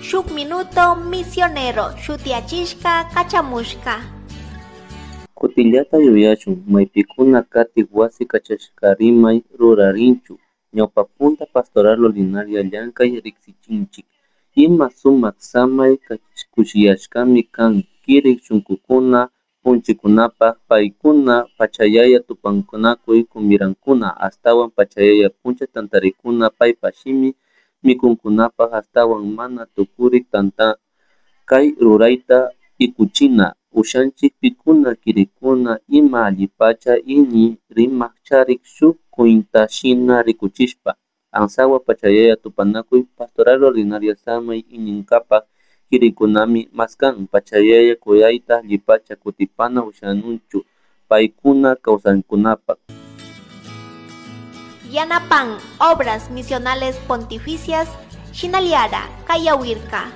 Shuk Minuto Misionero shutiyachishka kachamushka. Kutillata yuyashun maypikuna katik wasi kachashkarimay rurarinchu ñawpapunta pastoral ordinaria llankay riksichinchik ima sumak samay kushiyashkami kan kirik shunkukuna punchikunapak paykuna pachayaya tupanakuy kumirankuna ashtawan pachayaya puncha tantarikuna paypa shimi mikunkunapak ashtawan mana tukurik tanta kay rurayta ikuchina ushanchik pikuna kirikuna ima allipacha iñi rimak charik shuk kuyntashina rikuchishpa ansawa pachayaya tupanakuy pastoral ordinaria samay iñinkapak kirikunami maskan pachayaya kuyayta allipacha kutipana ushanunchu paykuna kawsankunapak. Yanapan Obras Misionales Pontificias Shinaliara Kayawirka.